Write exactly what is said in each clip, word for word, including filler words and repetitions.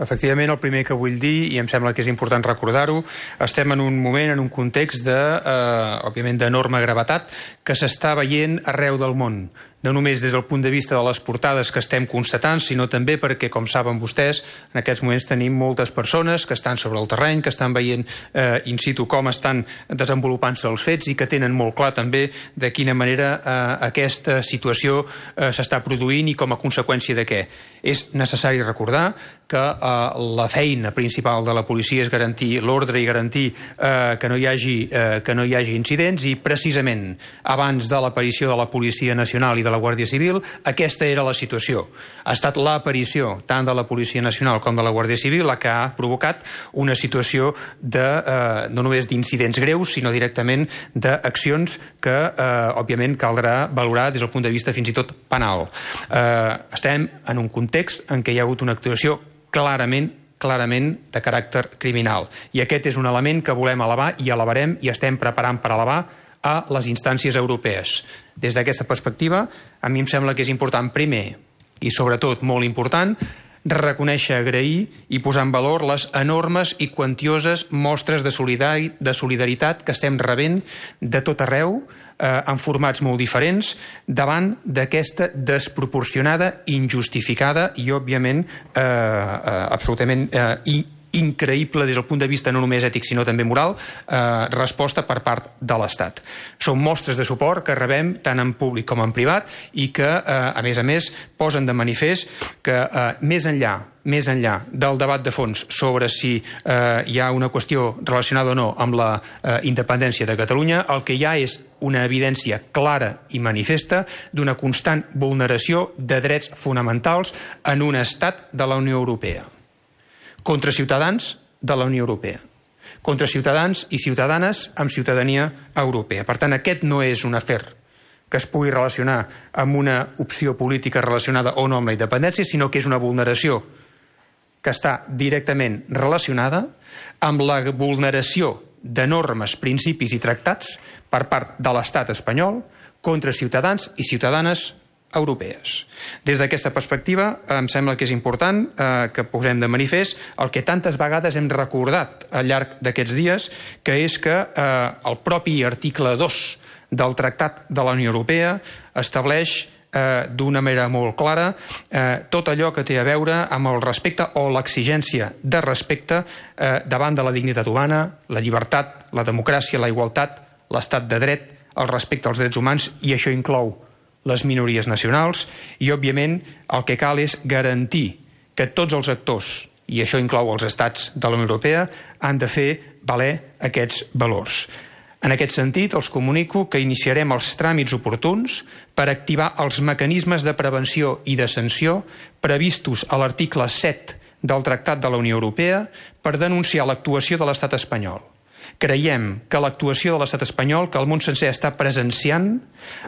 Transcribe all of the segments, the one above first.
Efectivament, el primer que vull dir, i em sembla que és important recordar-ho, estem en un moment, en un context de, eh, òbviament, d'enorme gravetat que s'està veient arreu del món. No només des del punt de vista de les portades que estem constatant, sinó també perquè, com saben vostès, en aquests moments tenim moltes persones que estan sobre el terreny, que estan veient eh, in situ com estan desenvolupant-se els fets i que tenen molt clar també de quina manera eh, aquesta situació eh, s'està produint i com a conseqüència de què. És necessari recordar que eh, la feina principal de la policia és garantir l'ordre i garantir eh, que, no hi hagi, eh, que no hi hagi incidents, i precisament abans de l'aparició de la Policia Nacional i de la Guàrdia Civil, aquesta era la situació. Ha estat l'aparició tant de la Policia Nacional com de la Guàrdia Civil la que ha provocat una situació de, eh, no només d'incidents greus, sinó directament d'accions que, eh, òbviament, caldrà valorar des del punt de vista fins i tot penal. Eh, estem en un context en què hi ha hagut una actuació clarament clarament de caràcter criminal. I aquest és un element que volem elevar i elevarem i estem preparant per elevar a les instàncies europees. Des d'aquesta perspectiva, a mi em sembla que és important, primer, i sobretot molt important, reconèixer, agrair i posar en valor les enormes i quantioses mostres de solidaritat que estem rebent de tot arreu, eh, en formats molt diferents, davant d'aquesta desproporcionada, injustificada i, òbviament, eh, eh, absolutament eh, increïble des del punt de vista no només ètic sinó també moral, eh, resposta per part de l'Estat. Són mostres de suport que rebem tant en públic com en privat i que, eh, a més a més, posen de manifest que eh, més enllà més enllà del debat de fons sobre si eh, hi ha una qüestió relacionada o no amb la eh, independència de Catalunya, el que hi ha és una evidència clara i manifesta d'una constant vulneració de drets fonamentals en un estat de la Unió Europea. Contra ciutadans de la Unió Europea, contra ciutadans i ciutadanes amb ciutadania europea. Per tant, aquest no és un afer que es pugui relacionar amb una opció política relacionada o no amb la independència, sinó que és una vulneració que està directament relacionada amb la vulneració de normes, principis i tractats per part de l'Estat espanyol contra ciutadans i ciutadanes europees. Des d'aquesta perspectiva, em sembla que és important eh, que posem de manifest el que tantes vegades hem recordat al llarg d'aquests dies, que és que eh, el propi article dos del Tractat de la Unió Europea estableix eh, d'una manera molt clara eh, tot allò que té a veure amb el respecte o l'exigència de respecte eh, davant de la dignitat humana, la llibertat, la democràcia, la igualtat, l'estat de dret, el respecte als drets humans, i això inclou les minories nacionals, i, òbviament, el que cal és garantir que tots els actors, i això inclou els estats de la Unió Europea, han de fer valer aquests valors. En aquest sentit, els comunico que iniciarem els tràmits oportuns per activar els mecanismes de prevenció i de sanció previstos a l'article set del Tractat de la Unió Europea per denunciar l'actuació de l'Estat espanyol. Creiem que l'actuació de l'Estat espanyol, que el món sencer està presenciant,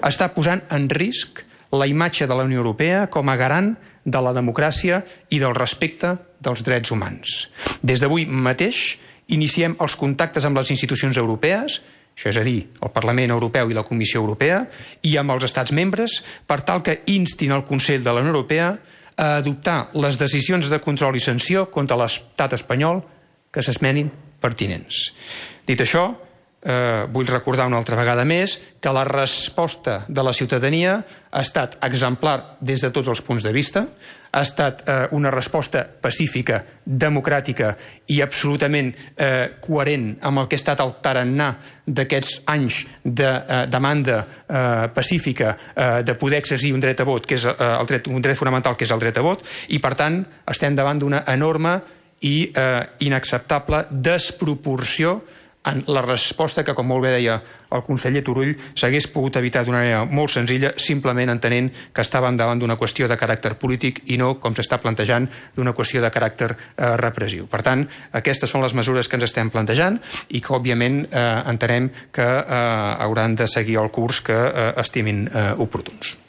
està posant en risc la imatge de la Unió Europea com a garant de la democràcia i del respecte dels drets humans. Des d'avui mateix iniciem els contactes amb les institucions europees, això és a dir, el Parlament Europeu i la Comissió Europea, i amb els estats membres, per tal que instin el Consell de la Unió Europea a adoptar les decisions de control i sanció contra l'Estat espanyol que s'esmenin pertinents. Dit això, eh, vull recordar una altra vegada més que la resposta de la ciutadania ha estat exemplar des de tots els punts de vista, ha estat eh, una resposta pacífica, democràtica i absolutament eh, coherent amb el que ha estat el tarannà d'aquests anys de eh, demanda eh, pacífica eh, de poder exercir un dret a vot, que és eh, el dret, un dret fonamental que és el dret a vot, i per tant estem davant d'una enorme i eh, inacceptable desproporció en la resposta que, com molt bé deia el conseller Turull, s'hagués pogut evitar d'una manera molt senzilla, simplement entenent que estàvem davant d'una qüestió de caràcter polític i no, com s'està plantejant, d'una qüestió de caràcter eh, repressiu. Per tant, aquestes són les mesures que ens estem plantejant i que, òbviament, eh, entenem que eh, hauran de seguir el curs que eh, estimin eh, oportuns.